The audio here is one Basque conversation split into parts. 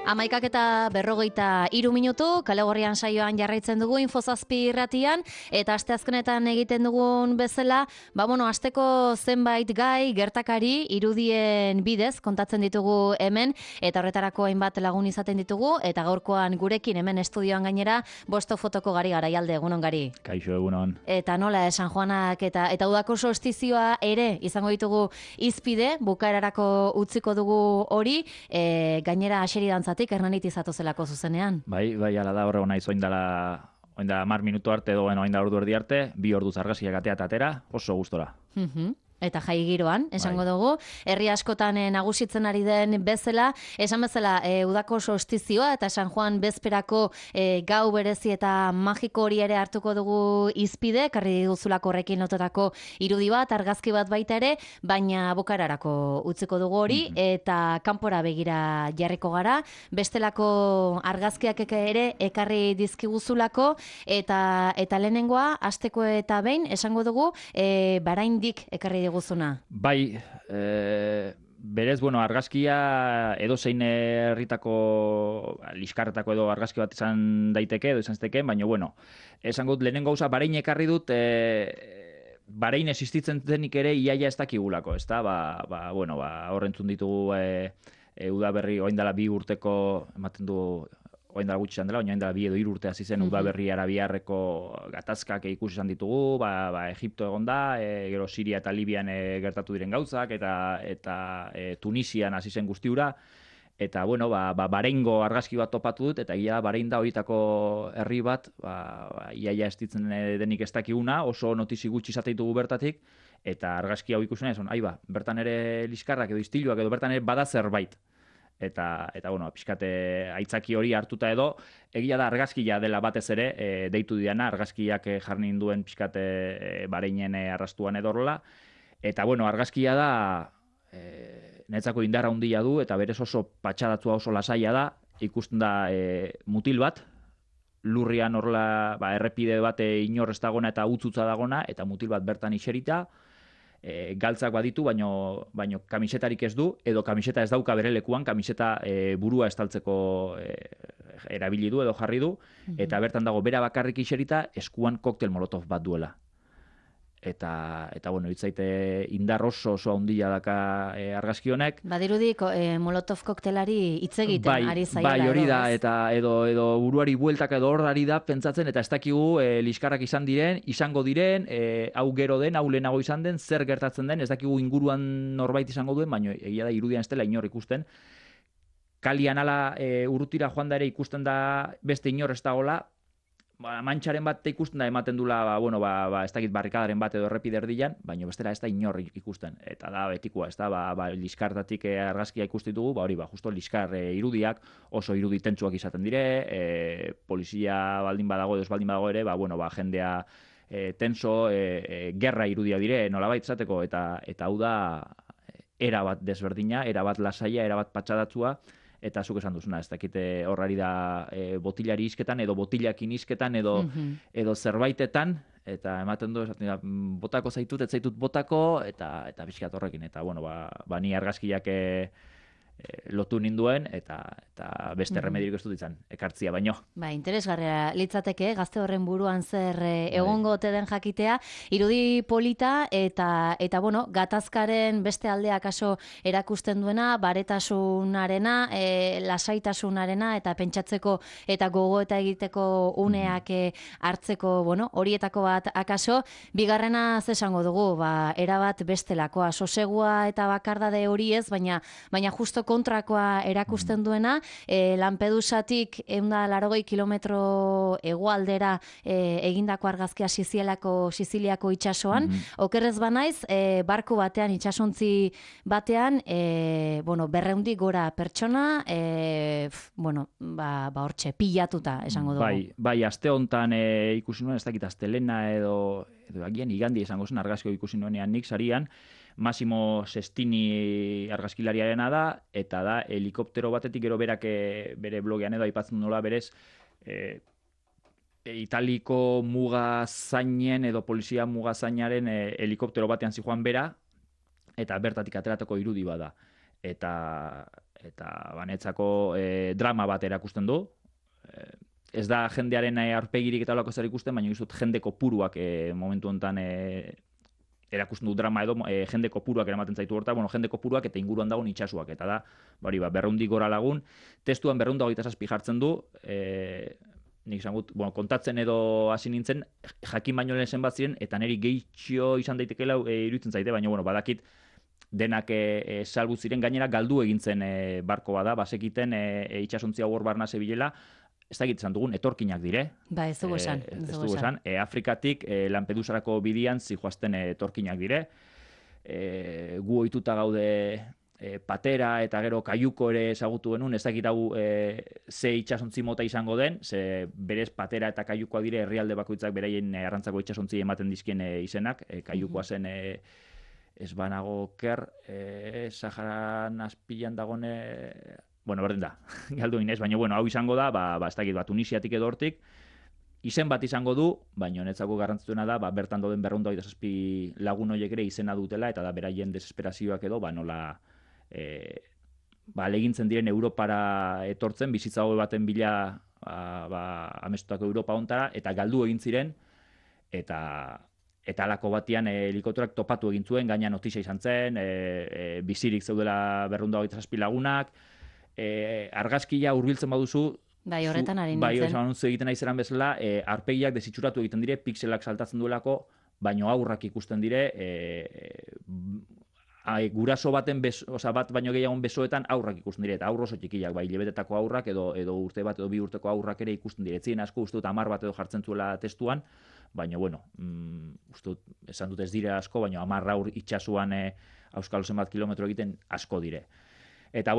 11:berrogeita 3 Kale Gorrian saioan jarraitzen dugu Infozazpi irratian, eta asteazkenetan egiten dugun bezala, asteko zenbait gai, gertakari, irudien bidez kontatzen ditugu hemen, eta horretarako hainbat lagun izaten ditugu, eta gaurkoan gurekin hemen estudioan gainera, Bosto Fotoko Gari Garaialde, egunon Gari. Kaixo, egunon. Eta nola, San Juanak eta udako solstizioa ere izango ditugu izpide, bukaerarako utziko dugu hori, gainera aseri dantzatik Hernanit izatu zelako zuzenean. Bai, ala da horre naiz oindala 10 minutu arte edo oindala ordu erdi arte, 2 orduz argazkiak atea eta atera, oso gustora. Eta jai giroan, esango dugu, herri askotan nagusitzen ari den bezala, esan bezala udako solstizioa eta San Juan bezperako gau berezi eta magiko hori ere hartuko dugu izpide, karri diguzulako horrekin lotutako irudi bat, argazki bat baita ere, baina bukararako utziko dugu hori, eta kanpora begira jarriko gara, bestelako argazkiak ere ekarri dizkiguzulako, eta lehenengoa, hasteko eta behin, esango dugu, baraindik ekarri guzuna. Bai, berez, argazkia edozein herritako liskarretako edo argazki bat izan daiteke, edo izan ziteken, baina, esango dut lehenengo gauza, Barain ekarri dut, Barain existitzen denik ere iaia ez dakigulako, ezta? Horrentzun ditugu udaberri, oindala 2 urteko, ematen du, oindala gutxi izan dela, oindala 2 edo 3 urte hasi zen udaberri arabiarreko gatazkak ikusi izan ditugu, Egipto egon da, gero Siria eta Libian gertatu diren gauzak, eta Tunisian hasi zen guztiura, eta Bareingo argazki bat topatu dut, eta ia Barain da horietako herri bat, iaia estitzen denik ez dakiguna, oso notizi gutxi izate ditugu bertatik, eta argazki hau ikusen esan, bertan ere liskarrak edo istiluak edo bertan ere bada zerbait. Eta pixkate aitzaki hori hartuta edo, egia da argazkia dela batez ere, deitu diana, argazkiak jarri duen pixkate Bareinen arrastuan edorla. Eta argazkia da, netzako indar handia du, eta berez oso patxadatua oso lasaia da, ikusten da mutil bat, lurrian horrela errepide bat inor ez dagona eta utzutza dagona, eta mutil bat bertan iserita, galtzak baditu, baino kamisetarik ez du, edo kamiseta ez dauka bere lekuan, kamiseta burua estaltzeko erabili du edo jarri du, eta bertan dago bera bakarrik iserita, eskuan koktel molotov bat duela. Eta hitzaite indar oso handia daka argazki honek. Badirudi molotov koktelari hitz egiten ari zaiela. Bai, hori da, eta edo buruari bueltaka edo hor da pentsatzen, eta ez dakigu liskarrak izango diren, hau gero den, hau lehenago izan den, zer gertatzen den, ez dakigu inguruan norbait izango duen, baina egia da irudian ez dela inor ikusten. Kalian ala urrutira joan da ere ikusten da beste inor ez dagoela, mantxaren bat ikusten da ematen dula, ez dakit barrikadaren bat edo errepide erdian, baina bestela ez da inor ikusten. Eta da betikoa, ez da, liskartatik argazkia ikustitugu, justo liskar irudiak, oso irudi tentsuak izaten dire, polizia baldin badago edo ez baldin badago ere, jendea tenso, gerra irudia dire, nolabait zateko, eta hau da, erabat desberdina, erabat lasaia, erabat patxadatzua, eta zuk esan duzuna, ez dakite horrari da botilari izketan, edo botilakin izketan, edo zerbaitetan, eta ematen du, botako zaitut, ez zaitut botako, eta pixkat horrekin, eta ni argazkiak lotu ninduen, eta beste remedirik ez dut izan, ekartzia baino. Interesgarria litzateke, gazte horren buruan zer egongo ote den jakitea, irudi polita, eta gatazkaren beste aldea kaso erakusten duena, baretasunarena, lasaitasunarena, eta pentsatzeko eta gogo eta egiteko uneak hartzeko, horietako bat akaso, bigarrena zesango dugu, erabat bestelakoa, sosegua eta bakardade hori ez, baina justo kontrakoa erakusten duena, Lampedusatik 180 kilometro hegoaldera egindako argazkia Siziliako itsasoan, okerrez banaiz, barku batean, itsasontzi batean, 200 gora pertsona, hortxe, pilatuta, esango dugu. Bai, aste hontan ikusi nuen, ez dakit astelena edo agian igandi esango zen argazkio ikusi nuenean nik sarian, Massimo Sestini argazkilariarena da, eta da helikoptero batetik gero berak bere blogean edo aipatzen nola berez Italiko mugazainen edo polizia mugazainaren helikoptero batean zijoan bera, eta bertatik ateratako irudi bada. eta banetzako drama bat erakusten du. Ez da jendearen aurpegirik eta olako zer ikusten, baina izut jende kopuruak momentu honetan erakusten du drama edo jende kopuruak eramaten zaitu horta, jende kopuruak eta inguruan dagoen itxasuak, eta da, 200 gora lagun, testuan 227 jartzen du, nik esan gut, kontatzen edo hasi nintzen, jakin baino lehen zenbat ziren, eta niri gehitxo izan daitekela iruditzen zaite, baina badakit denak salbu ziren, gainera galdu egintzen barko bada, basekiten itxasontzia hor barna zebilela, ez da egiten dugun, etorkinak dire. Ba, ez dugu esan. Afrikatik Lampedusarako bidian zijoazten etorkinak dire. Gu ohituta gaude patera eta gero kaiuko ere ezagutu genuen, ez dakit hau ze itxasontzi mota izango den, ze berez patera eta kaiukoa dire herrialde bakoitzak beraien arrantzako itxasontzi ematen dizkien izenak, kaiukoa zen ez banago ker, Saharan azpilan dagone... berdin da, galdu inez, baina hau izango da, ez dakit, Tunisiatik edo hortik, izen bat izango du, baina netzako garrantzituena da, bertan dauden 227 lagun horiek ere izena dutela, eta da beraien desesperazioak edo, nola alegintzen diren Europara etortzen, bizitza hobe baten bila amestutako Europa hontara, eta galdu egin ziren, eta alako batian helikopterak topatu egin zuen, gaina notizia izan zen, bizirik zeudela 227 lagunak, argazkia hurbiltzen baduzu, bai, horretan ari nintzen. Bai, anuntzio egiten aizeran bezala, arpegiak desitxuratu egiten dire, pixelak saltatzen duelako, baino aurrak ikusten dire, guraso baten bat baino gehiagon besoetan aurrak ikusten dire, eta aurro oso txikiak, bai, lebetetako aurrak edo urte bat edo 2 urteko aurrak ere ikusten dire. Etzien asko uste dut 10 bat edo jartzen zuela testuan, baina, uste dut, esan dut ez dire asko, baina 10 aur itxasuan auskalo zenbat kilometro egiten asko dire. Eta,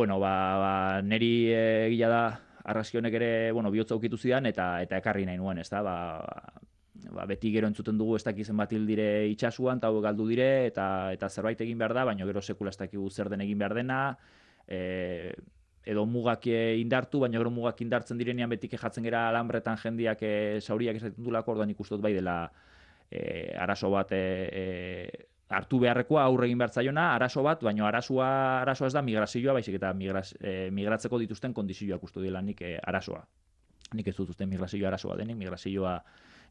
neri egia da, argazki honek ere, bihotza ukitu zidan, eta ekarri nahi nuen, ez da, beti gero entzuten dugu ez dakizen bat hil dire itxasuan, eta galdu dire, eta zerbait egin behar da, baina gero sekula ez dakigu zer den egin behar dena, edo mugak indartu, baina gero mugak indartzen direnean betik jatzen gera alambretan jendiak zauriak esaten dulako, orduan ikustot bai dela arazo bat hartu beharrekoa aurre egin behar zaiona, arazo bat, baina arazoa ez da migrazioa, baizik eta migratzeko dituzten kondizioak uste dela nik arazoa. Nik ez dut uste migrazioa arazoa denik, migrazioa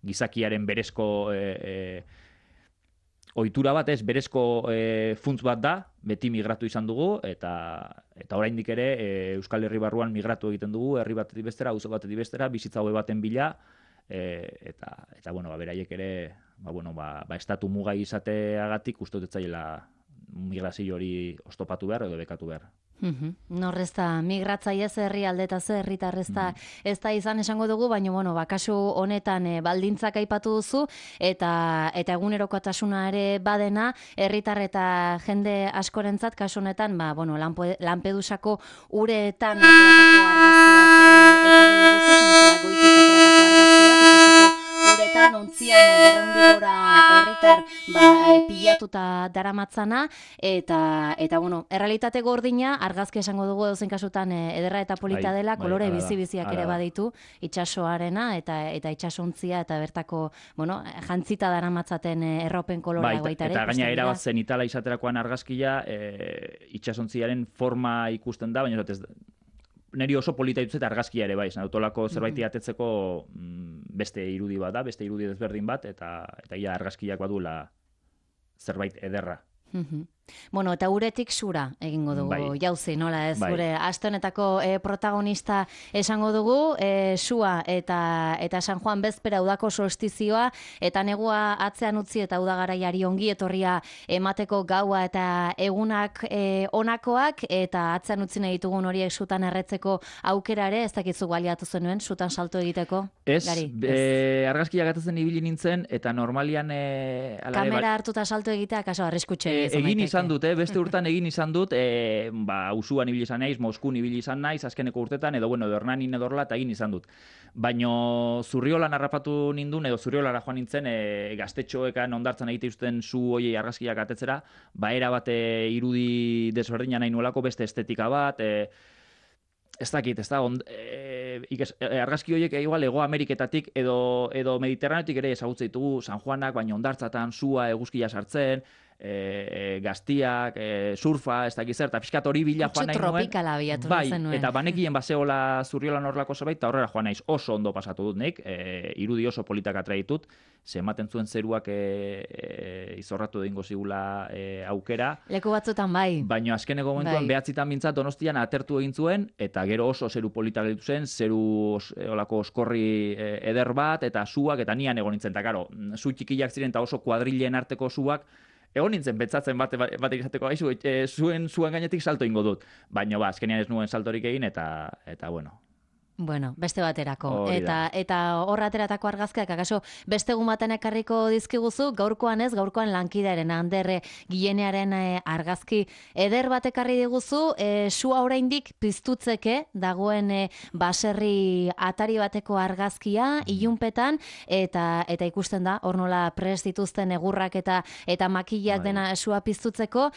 gizakiaren berezko ohitura bat ez, berezko funtz bat da, beti migratu izan dugu, eta oraindik ere Euskal Herri barruan migratu egiten dugu, herri batetik bestera, auzo batetik bestera, bizitza hobe baten bila, eta beraiek ere, estatu mugai izateagatik uste dut zaiela migrazio hori oztopatu behar edo bekatu behar. Norrez da, migratzaile ze herrialde eta ze herritar ez da izan esango dugu, baina kasu honetan baldintzak aipatu duzu, eta egunerokotasuna ere badena, herritar eta jende askorentzat kasu honetan, Lampedusako uretan ateratako uretan ontzian 200 gora herritar pilatuta daramatzana, eta errealitate gordina, argazki esango dugu edozein kasutan ederra eta polita dela, kolore bizi-biziak ere baditu, itxasoarena eta itxasontzia eta bertako, jantzita daramatzaten erropen kolorea baita ere. Eta gaina erabat zenitala izaterakoan argazkia, itxasontziaren forma ikusten da, baina neri oso polita dituzet argazkia ere, bai, autolako zerbaiti atetzeko beste irudi bat da, beste irudi desberdin bat, eta argazkiak badula zerbait ederra. Eta uretik sura egingo dugu, jauzi, nola ez, gure aste honetako protagonista esango dugu, sua eta San Juan bezpera udako solstizioa, eta negua atzean utzi eta udagaraiari ongi etorria emateko gaua eta egunak onakoak, eta atzean utzi nahi ditugun horiek sutan erretzeko aukera ere, ez dakizu baliatu zenuen, sutan salto egiteko? Ez, argazkiak atatzen ibili nintzen, eta normalian... Kamera hartuta salto egitea, kaso arriskutxe egin izan dut, beste urtan egin izan dut, usuan ibili izan naiz, Moskun ibili izan naiz, azkeneko urtetan, edo Hernanin edorla eta egin izan dut. Baina Zurriolan harrapatu nindun, edo Zurriolara joan nintzen, gaztetxoekan ondartzan egite uzten zu hoiei argazkiak atetzera, era bat irudi desberdina nahi nuelako, beste estetika bat, ez dakit, ez da, argazki horiek igual Hego Ameriketatik edo Mediterraneotik ere ezagutzen ditugu San Juanak, baina ondartzatan, sua, eguzkia sartzen, gaztiak, surfa, ez dakiz zer, eta pixkat hori bila joan nahi nuen. Tropikala biatu zenuen. Eta banekien bazeola Zurriolan horrelako zerbait, eta horrela joan naiz oso ondo pasatu dut nik, irudi oso politak atreitut, ze ematen zuen zeruak izorratu egingo zigula aukera. Leku batzutan bai. Baina azkeneko momentuan behatzitan bintzat Donostian atertu egin zuen, eta gero oso zeru politak gelditu zen, zeru olako oskorri eder bat, eta suak, eta nian egon nintzen, eta karo, zu txikiak ziren, eta oso kuadrilen arteko suak, egon nintzen betzatzen bat izateko, zuen gainetik salto ingo dut. Baina azkenean ez nuen saltorik egin, eta bueno. Bueno, beste baterako. Eta hor ateratako argazkiak, akaso beste egun baten ekarriko dizkiguzu, gaurkoan ez, gaurkoan lankidearen Ander Gilenearen argazki eder bat ekarri diguzu, sua oraindik piztutzeke dagoen baserri atari bateko argazkia, ilunpetan, eta ikusten da, hor nola prest dituzten egurrak eta makillak dena sua piztutzeko,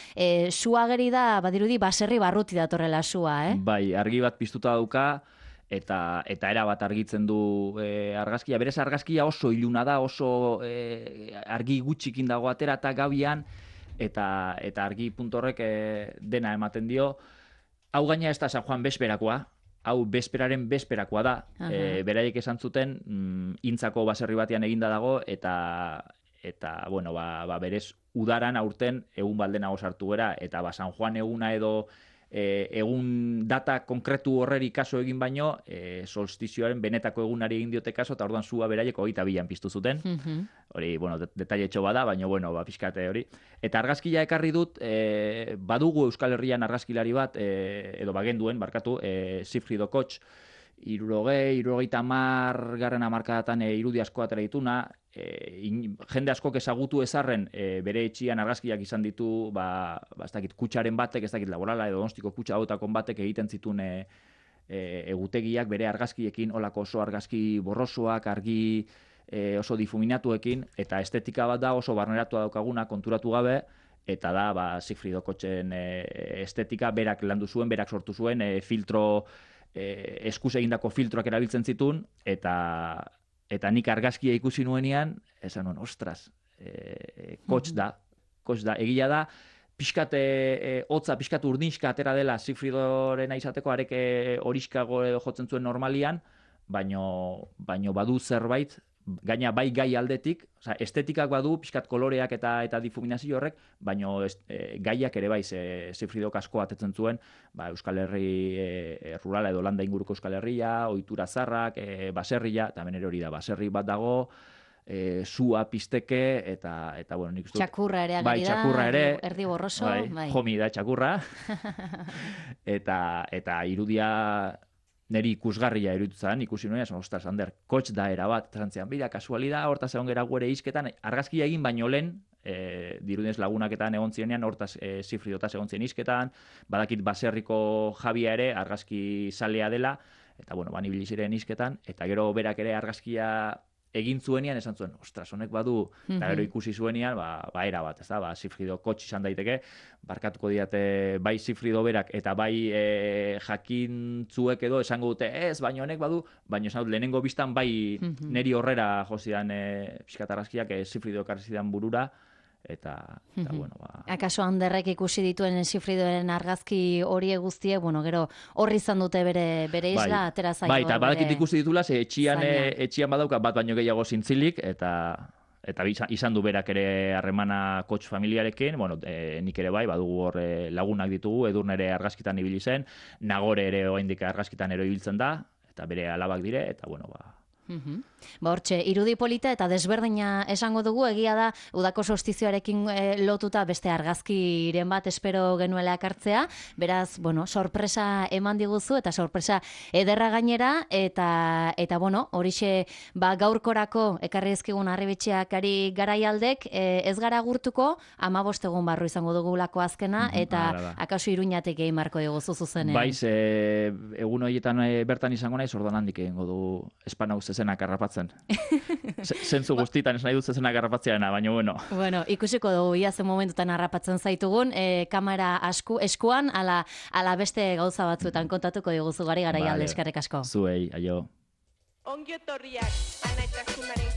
sua geri da, badirudi, baserri barruti datorrela sua, Bai, argi bat piztuta dauka, eta era bat argitzen du argazkia. Berez argazkia oso iluna da, oso argi gutxikin dago atera eta gabian, eta argi puntorrek dena ematen dio. Hau gaina ez da San Juan bezperakoa, hau bezperaren bezperakoa da. Beraiek esan zuten, intzako baserri batean eginda dago, eta bueno, berez udaran aurten egun baldenago sartu gera, eta San Juan eguna edo egun data konkretu horreri kaso egin baino, solstizioaren benetako egunari egin diote kaso, eta orduan sua beraiek 22an piztu zuten. Hori, bueno, detailetxo bada, baina, bueno, pixkate hori. Eta argazkia ekarri dut, badugu Euskal Herrian argazkilari bat, edo bagenduen, barkatu, Sigfrido Koch, 60 garren hamarkadatan irudi asko atera dituna, jende askok ezagutu ezarren bere etxian argazkiak izan ditu, ez dakit kutsaren batek, ez dakit Laborala edo Donostiko kutsa hautakon batek egiten zituen egutegiak bere argazkiekin, olako oso argazki borrosoak, argi oso difuminatuekin, eta estetika bat da oso barneratua daukaguna konturatu gabe, eta da Sigfrido Kochen estetika berak landu zuen, berak sortu zuen, filtro eskuz egindako filtroak erabiltzen zituen, eta nik argazkia ikusi nuenean, esan nuen, ostras, Koch da, egia da, pixkat hotza, pixkat urdinska atera dela Sigfridorena izateko, arek horiskago jotzen zuen normalian, baino badu zerbait, gaina bai gai aldetik, estetikak badu, pixkat koloreak eta difuminazio horrek, baino gaiak ere bai, Sigfridok asko atetzen zuen, Euskal Herri rurala edo landa inguruko Euskal Herria, ohitura zarrak, baserria, eta hemen ere hori da, baserri bat dago, sua pizteke, eta bueno, nik uste dut. Txakurra ere agari da, txakurra ere, erdi borroso. Jomi da txakurra, eta irudia neri ikusgarria iruditzen, ikusi nuen, ostras, Ander, Koch da erabat, trantzean, bida, kasualida, hortaz egon gera guere izketan, argazkia egin baino lehen, dirudinez lagunaketan egon zienean, hortaz Sigfridotaz egon zien izketan, badakit baserriko Jabia ere, argazki zalea dela, eta bueno, ibili ziren izketan, eta gero berak ere argazkia egin zuenean, esan zuen, ostras, honek badu, eta gero ikusi zuenean, era bat, ez da, Sigfrido Koch izan daiteke, barkatuko diate bai Sigfrido berak, eta bai jakintzuek edo esango dute, ez, baina honek badu, baina esan dut, lehenengo biztan bai neri horrera jozidan pixkat argazkiak Sigfrido karzidan burura, eta bueno, Akaso Anderrek ikusi dituen Sigfridoren argazki horiek guztiek, bueno, gero horri izan dute bere isla, atera zaio. Bai, eta badakit ikusi ditula, etxian badauka bat baino gehiago zintzilik, eta izan du berak ere harremana Koch familiarekin, bueno, nik ere bai, badugu hor lagunak ditugu, Edurne ere argazkitan ibili zen, Nagore ere oraindik argazkitan ero ibiltzen da, eta bere alabak dire, eta bueno, Hortxe, irudi polita eta desberdina esango dugu, egia da udako solstizioarekin lotuta beste argazkiren bat espero genuela ekartzea, beraz, bueno, sorpresa eman diguzu eta sorpresa ederra gainera, eta bueno, horixe gaurkorako ekarri ezkigun Harribitxiak ari garaialdek, ez gara gurtuko, 15 egun barru izango dugulako azkena, eta akaso Iruñatik egin marko diguzu zuzenean. Baiz, egun horietan bertan izango naiz, orduan handik egingo du Espanau zezenak harrapatzen. Zentzu guztitan ez nahi dut zezenak harrapatzeana, baina bueno. Bueno, ikusiko dugu ia zen momentutan harrapatzen zaitugun, kamera eskuan, ala beste gauza batzuetan kontatuko diguzu gari garaialde, eskerrik asko. Zuei, aio. Ongi etorriak, Ana Itasunaren